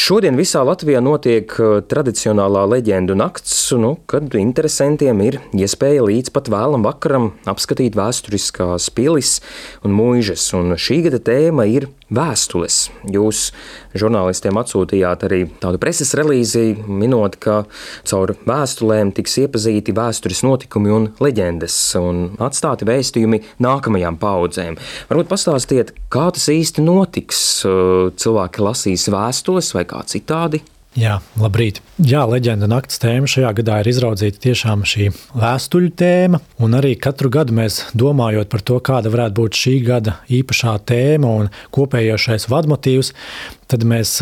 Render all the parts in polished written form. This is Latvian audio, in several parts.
Šodien visā Latvijā notiek tradicionālā leģendu nakts, kad interesantiem ir iespēja līdz pat vēlam vakaram apskatīt vēsturiskās pilis un muižas. Un šī gada tēma ir vēstules. Jūs žurnālistiem atsūtījāt arī tādu preses relīzi, minot, ka caur vēstulēm tiks iepazīti vēstures notikumi un leģendas un atstāti vēstījumi nākamajām paudzēm. Varbūt pastāstiet, kā tas īsti notiks? Cilvēki lasīs vēstules vai kā citādi? Jā, labrīt. Jā, leģenda nakts tēma šajā gadā ir izraudzīta tiešām šī vēstuļu tēma, un arī katru gadu mēs domājot par to, kāda varētu būt šī gada īpašā tēma un kopējošais vadmotīvs, tad mēs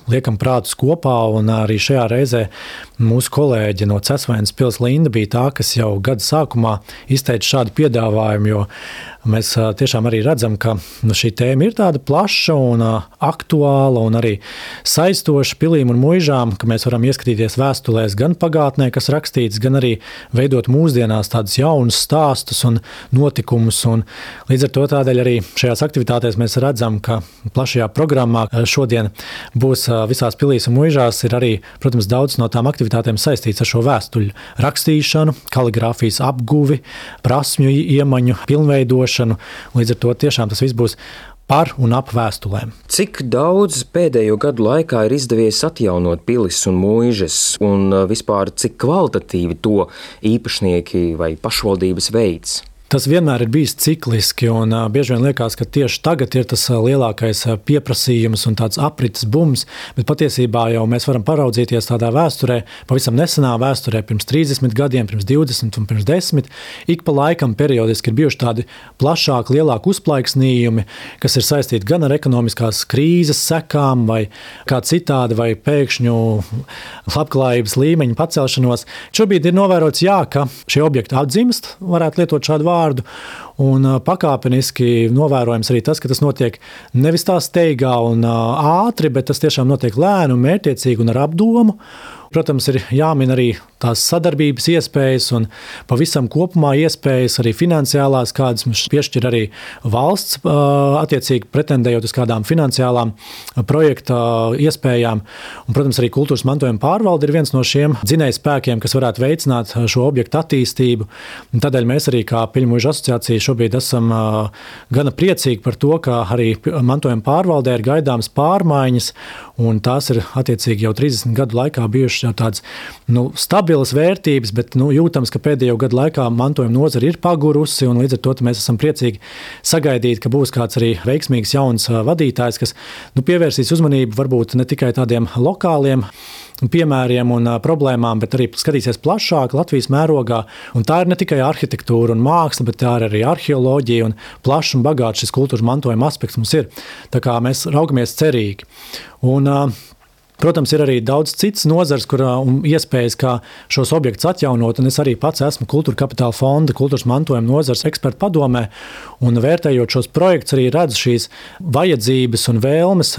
liekam prātus kopā, un arī šajā reizē mūsu kolēģe no Cesvaines pils Linda bija tā, kas jau gada sākumā izteica šādu piedāvājumu, jo mēs tiešām arī redzam, ka šī tēma ir tāda plaša un aktuāla un arī saistoša pilīm un muižām, ka mēs varam ieskatīties vēstulēs gan pagātnē, kas rakstīts, gan arī veidot mūsdienās tādus jaunus stāstus un notikumus. Un līdz ar to tādēļ arī šajās aktivitātēs mēs redzam, ka plašajā programmā šodien būs visās pilīs un muižās ir arī, protams, daudz no tām aktivitātēm saistīts ar šo vēstuļu rakstīšanu, kaligrāfijas apguvi, prasmju iemaņu pilnveidošanu. Līdz ar to tiešām tas viss būs par un ap vēstulēm. Cik daudz pēdējo gadu laikā ir izdevies atjaunot pilis un muižas, un vispār cik kvalitatīvi to īpašnieki vai pašvaldības veids? Tas vienmēr ir bijis cikliski, un bieži vien liekas, ka tieši tagad ir tas lielākais pieprasījums un tāds aprites bums, bet patiesībā jau mēs varam paraudzīties tādā vēsturē, pavisam nesenā vēsturē, pirms 30 gadiem, pirms 20 un pirms 10. Ik pa laikam periodiski ir bijuši tādi plašāki, lielāki uzplaiksnījumi, kas ir saistīti gan ar ekonomiskās krīzes sekām, vai kā citādi, vai pēkšņu labklājības līmeņa pacelšanos. Šobrīd ir novērots, ka šie objekti atdzimst, varētu lietot šādu vārdu, un pakāpeniski novērojams arī tas, ka tas notiek nevis tā steigā un ātri, bet tas tiešām notiek lēni un mērķiecīgi un ar apdomu. Protams, ir jāmin arī tās sadarbības iespējas un pavisam kopumā iespējas arī finansiālās, kādas mums piešķir arī valsts, attiecīgi pretendējot uz kādām finansiālām projekta iespējām. Un, protams, arī kultūras mantojuma pārvalde ir viens no šiem dzinējspēkiem, kas varētu veicināt šo objektu attīstību. Un tādēļ mēs arī kā Piļu muižu asociācija šobrīd esam gana priecīgi par to, ka arī mantojuma pārvaldē ir gaidāmas pārmaiņas, un tās ir attiecīgi jau 30 gadu laikā bijušas jau tādas stabilas vērtības, bet jūtams, ka pēdējo gadu laikā mantojuma nozara ir pagurusi, un līdz ar to mēs esam priecīgi sagaidīt, ka būs kāds arī veiksmīgs jauns vadītājs, kas pievērsīs uzmanību varbūt ne tikai tādiem lokāliem piemēriem un problēmām, bet arī skatīsies plašāk Latvijas mērogā. Un tā ir ne tikai arhitektūra un māksla, bet tā ir arī arheoloģija un plašs un bagāts šis kultūras mantojuma aspekts mums ir. Tā kā mēs raugamies cerīgi. Un protams, ir arī daudz citas nozars, un iespējas, kā šos objektus atjaunot, un es arī pats esmu Kultūra Kapitāla fonda kultūras mantojuma nozars ekspertu padomē, un vērtējot šos projektus arī redzu šīs vajadzības un vēlmes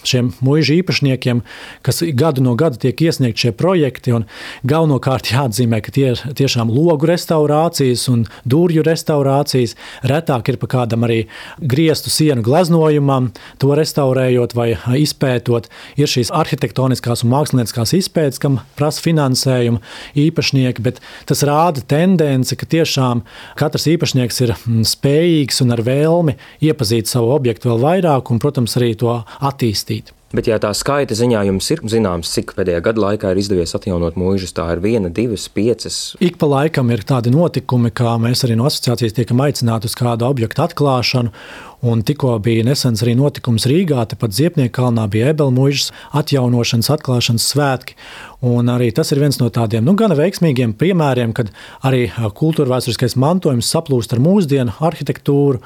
šiem muižu īpašniekiem, kas gadu no gada tiek iesniegt šie projekti, un galvenokārt jāatzīmē, ka tie ir tiešām logu restaurācijas un durju restaurācijas, retāk ir pa kādam arī griestu sienu gleznojumam, to restaurējot vai izpētot, ir šīs arhitektoniskās un mākslinieckās izpētes, kam prasa finansējumu īpašnieki, bet tas rāda tendenci, ka tiešām katrs īpašnieks ir spējīgs un ar vēlmi iepazīt savu objektu vēl vairāk un, protams, arī to attīstīt. Bet, ja tā skaita ziņā jums ir zināms, cik pēdējā gada laikā ir izdevies atjaunot muižas, tā ir 1, 2, 5? Ik pa laikam ir tādi notikumi, kā mēs arī no asociācijas tiekam aicināti uz kādu objektu atklāšanu, un tikko bija nesens arī notikums Rīgā, tepat Ziepnieku kalnā bija Ebela muižas atjaunošanas, atklāšanas svētki, un arī tas ir viens no tādiem, gana veiksmīgiem piemēriem, kad arī kultūra vēsturiskais mantojums saplūst ar mūsdienu arhitektūru.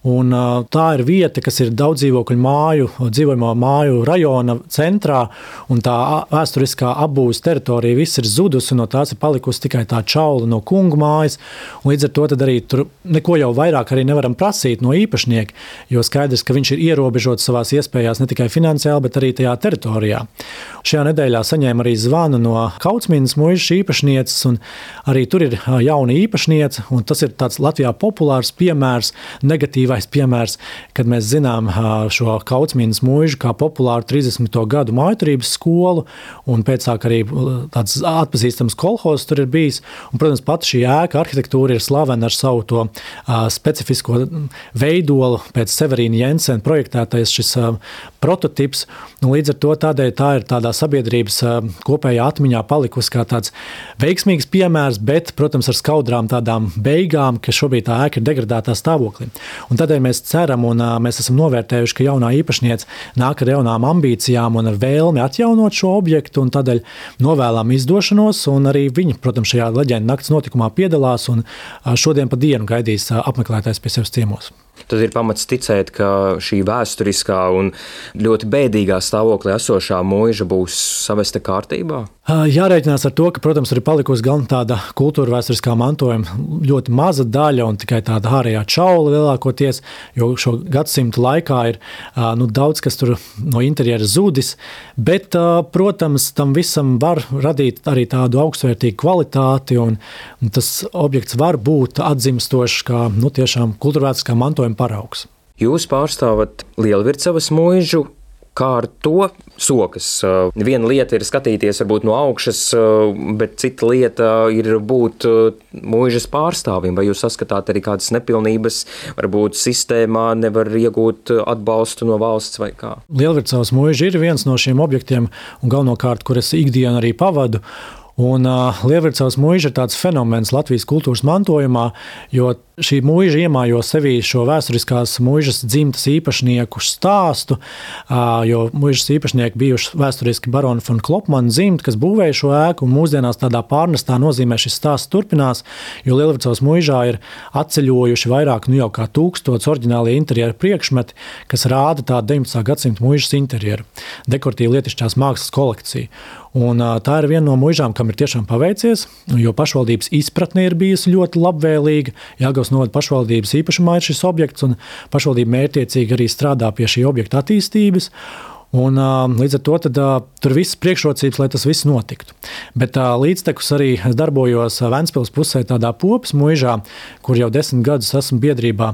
Un tā ir vieta, kas ir daudz dzīvojamo māju rajona centrā, un tā vēsturiskā apbūves teritorija viss ir zudusi, un no tās ir palikusi tikai tā čaula no kungu mājas. Un līdz ar to tad arī tur neko jau vairāk arī nevaram prasīt no īpašnieka, jo skaidrs, ka viņš ir ierobežots savās iespējās ne tikai finansiāli, bet arī tajā teritorijā. šajā nedēļā saņēmu arī zvanu no Kaucmīnas muižas īpašnieces, un arī tur ir jauna īpašniece, un tas ir tāds Latvijā populārs piemērs, negatīvais piemērs, kad mēs zinām šo Kaucmīnas muižu kā populāru 30. gadu mājturības skolu, un pēcāk arī tāds atpazīstams kolhozs tur ir bijis, un, protams, pat šī ēka arhitektūra ir slavena ar savu to specifisko veidolu pēc Severīna Jensena projektētais šis prototips, un līdz ar to tādēļ tā ir tādā sabiedrības kopējā atmiņā palikusi kā tāds veiksmīgs piemērs, bet, protams, ar skaudrām tādām beigām, ka šobrīd tā ēka ir degradētā stāvoklī. Un tādēļ mēs ceram, un mēs esam novērtējuši, ka jaunā īpašniece nāk ar jaunām ambīcijām un ar vēlmi atjaunot šo objektu, un tādēļ novēlam izdošanos, un arī viņi, protams, šajā leģendu nakts notikumā piedalās, un šodien pa dienu gaidīs apmeklētājs pie sevis ciemos. Tad ir pamats ticēt, ka šī vēsturiskā un ļoti bēdīgā stāvoklī esošā muiža būs savesta kārtībā? Jārēķinās ar to, ka, protams, ir palikusi gan tāda kultūra vēsturiskā mantojuma ļoti maza daļa un tikai tāda ārējā čaula lielākoties, jo šo gadsimtu laikā ir daudz, kas tur no interjera zudis, bet, protams, tam visam var radīt arī tādu augstvērtīgu kvalitāti, un tas objekts var būt atzimstošs kā tiešām kultūra vēsturiskā mantojuma paraugs. Jūs pārstāvat Lielvircavas muižu. Kā ar to sokas? Viena lieta ir skatīties varbūt no augšas, bet cita lieta ir būt muižas pārstāvim. Vai jūs saskatāt arī kādas nepilnības, varbūt sistēmā nevar iegūt atbalstu no valsts vai kā? Lielvircavas muiža ir viens no šiem objektiem, un galvenokārt, kur es ikdienu arī pavadu. Un Lielvircavas muiža ir tāds fenomens Latvijas kultūras mantojumā, jo šī muiža iemājo sevī šo vēsturiskās muižas dzimtas īpašnieku stāstu, jo muižas īpašnieki bijuši vēsturiski baroni von Klopmana dzimta, kas būvēja šo ēku, un mūsdienās tādā pārnestā nozīmē šis stāsts turpinās, jo Lielvircavas muižā ir atceļojuši vairāk jau kā 1000 oriģinālie interjera priekšmeti, kas rāda tādu 19. gadsimta muižas interjeru, dekoratīvu lietišķās mākslas kolekciju. Un tā ir viena no muižām, kam ir tiešām paveicies, jo pašvaldības izpratne ir bijusi ļoti labvēlīga. Jelgavas novada pašvaldības īpašumā ir šis objekts, un pašvaldība mērķtiecīgi arī strādā pie šī objekta attīstības. Un, līdz ar to tur viss priekšrocības, lai tas viss notiktu. Bet līdztekus arī es darbojos Ventspils pusē tādā Popas muižā, kur jau 10 gadus esmu biedrībā.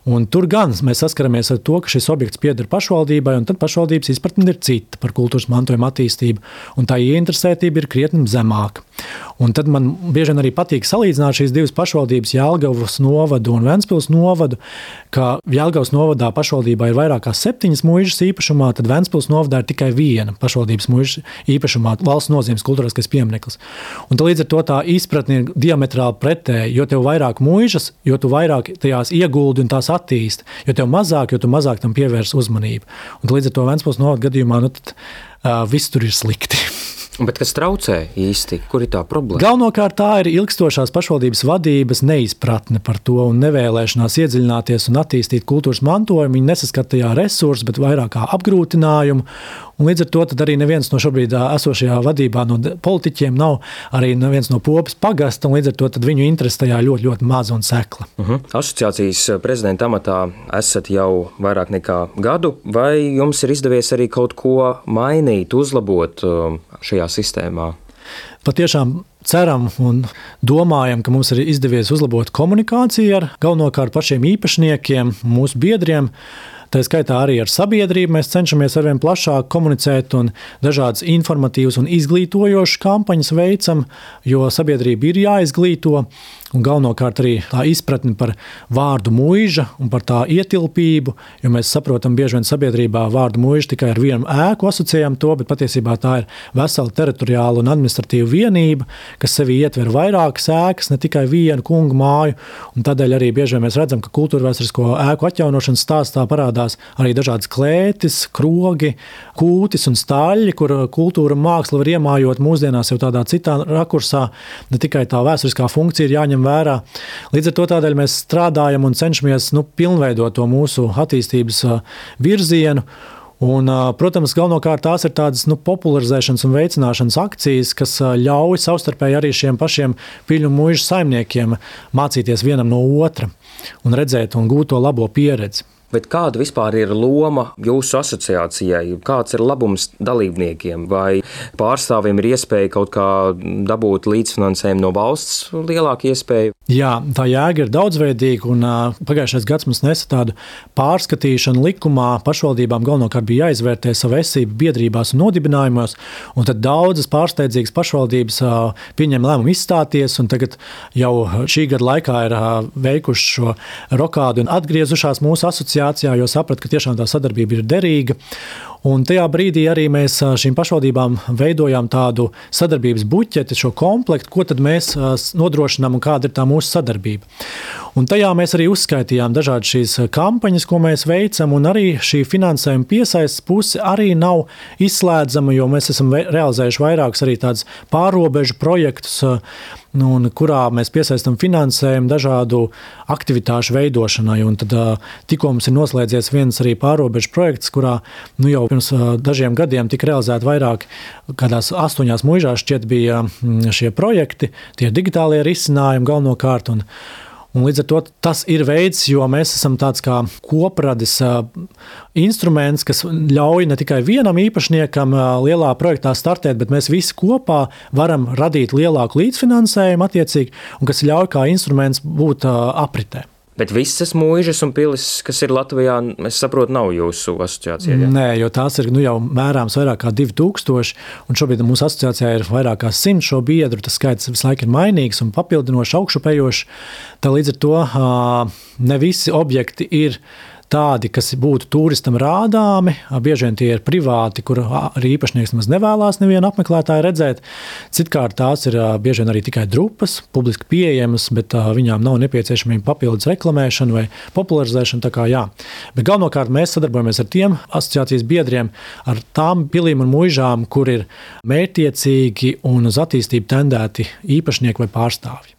Un tur gan mēs saskaramies ar to, ka šis objekts pieder pašvaldībai, un tad pašvaldības izpratne ir cita par kultūras mantojuma attīstību, un tā ieinteresētība ir krietni zemāka. Un tad man bieži vien arī patīk salīdzināt šīs divas pašvaldības, Jelgavas novadu un Ventspils novadu, ka Jelgavas novadā pašvaldībā ir vairāk kā 7 muižas īpašumā, tad Ventspils novadā ir tikai viena pašvaldības muižas īpašumā, valsts nozīmes kultūriskais piemineklis. Un līdz ar to tā izpratne ir diametrāli pretēja, jo tev vairāk muižas, jo tu vairāk tajās ieguldi un tās attīsti, jo tev mazāk, jo tu mazāk tam pievērs uzmanību. Un līdz ar to Ventspils novada gadījumā viss tur ir slikti. Bet kas traucē īsti? Kur ir tā problēma? Galvenokārt tā ir ilgstošās pašvaldības vadības neizpratne par to un nevēlēšanās iedziļināties un attīstīt kultūras mantojumu. Viņi nesaskata tajā resursus, bet vairāk kā apgrūtinājumu. Un līdz ar to arī neviens no šobrīd esošajā vadībā no politiķiem nav arī neviens no Popas pagasta, un līdz ar to viņu interese tajā ļoti, ļoti maza un sekla. Asociācijas prezidenta amatā esat jau vairāk nekā gadu. Vai jums ir izdevies arī kaut ko mainīt, uzlabot šajā sistēmā? Patiešām ceram un domājam, ka mums ir izdevies uzlabot komunikāciju ar galvenokārt pašiem īpašniekiem, mūsu biedriem. Tā skaitā arī ar sabiedrību mēs cenšamies arvien plašāk komunicēt un dažādas informatīvas un izglītojošas kampaņas veicam, jo sabiedrība ir jāizglīto. Un galvenokārt arī tā izpratne par vārdu muiža un par tā ietilpību, jo mēs saprotam bieži vien sabiedrībā vārdu muiža tikai ar vienu ēku asociējam to, bet patiesībā tā ir vesela teritoriāla un administratīva vienība, kas sevī ietver vairākas ēkas, ne tikai vienu kungu māju, un tādēļ arī bieži vien mēs redzam, ka kultūrvēsturisko ēku atjaunošanas stāstā parādās arī dažādas klētis, krogi, kūtis un staļļi, kur kultūra un māksla var iemājot mūsdienās jau tādā citā rakursā, ne tikai tā vēsturiskā funkcija ir jāņem vērā. Līdz ar to tādēļ mēs strādājam un cenšamies pilnveidot to mūsu attīstības virzienu. Un, protams, galvenokārt tās ir tādas popularizēšanas un veicināšanas akcijas, kas ļauj savstarpēji arī šiem pašiem piļu muižu saimniekiem mācīties vienam no otra un redzēt un gūt to labo pieredzi. Bet kāda vispār ir loma jūsu asociācijai? Kāds ir labums dalībniekiem? Vai pārstāvjiem ir iespēja kaut kā dabūt līdzfinansējumu no valsts lielāku iespēju? Jā, tā jēga ir daudzveidīga, un pagājušais gads mums nesa tādu pārskatīšanu likumā. Pašvaldībām galvenokārt bija jāizvērtē savu esību biedrībās un nodibinājumos, un tad daudzas pārsteidzīgas pašvaldības pieņem lēmumu izstāties, un tagad jau šī gada laikā ir veikuši šo rokādu un atgriezušās mūsu asociācijā, jo saprat, ka tiešām tā sadarbība ir derīga. Un tajā brīdī arī mēs šīm pašvaldībām veidojām tādu sadarbības buķeti, šo komplektu, ko tad mēs nodrošinām un kāda ir tā mūsu sadarbība. Un tajā mēs arī uzskaitījām dažādas šīs kampaņas, ko mēs veicam, un arī šī finansējuma piesaistes puse arī nav izslēdzama, jo mēs esam realizējuši vairākus arī tādus pārrobežu projektus, kurā mēs piesaistam finansējumu dažādu aktivitāšu veidošanai. Un tad tikko mums ir noslēdzies viens arī pārrobežu projekts, kurā jau pirms dažiem gadiem tika realizēti vairāk, kādās 8 muižās šķiet bija šie projekti, tie digitālie risinājumi galvenokārt. Un līdz ar to tas ir veids, jo mēs esam tāds kā kopradis instruments, kas ļauj ne tikai vienam īpašniekam lielā projektā startēt, bet mēs visi kopā varam radīt lielāku līdzfinansējumu attiecīgi, un kas ļauj kā instruments būt apritē. Bet visas muižas un pilis, kas ir Latvijā, es saprotu, nav jūsu asociācijā? Ja? Nē, jo tās ir jau mērāms vairāk kā 2000, un šobrīd mūsu asociācijā ir vairāk kā 100 šo biedru. Tas skaits visu laiku ir mainīgs un papildinošs, augšupējošs. Tā līdz ar to ne visi objekti ir tādi, kas būtu turistam rādāmi. Bieži vien tie ir privāti, kur arī īpašnieks nemaz nevēlās nevienu apmeklētāju redzēt. Citkārt tās ir bieži vien arī tikai drupas, publiski pieejamas, bet viņām nav nepieciešamība papildus reklamēšana vai popularizēšana. Tā kā jā. Bet galvenokārt mēs sadarbojamies ar tiem asociācijas biedriem, ar tām pilīm un muižām, kur ir mērķtiecīgi un uz attīstību tendēti īpašnieki vai pārstāvji.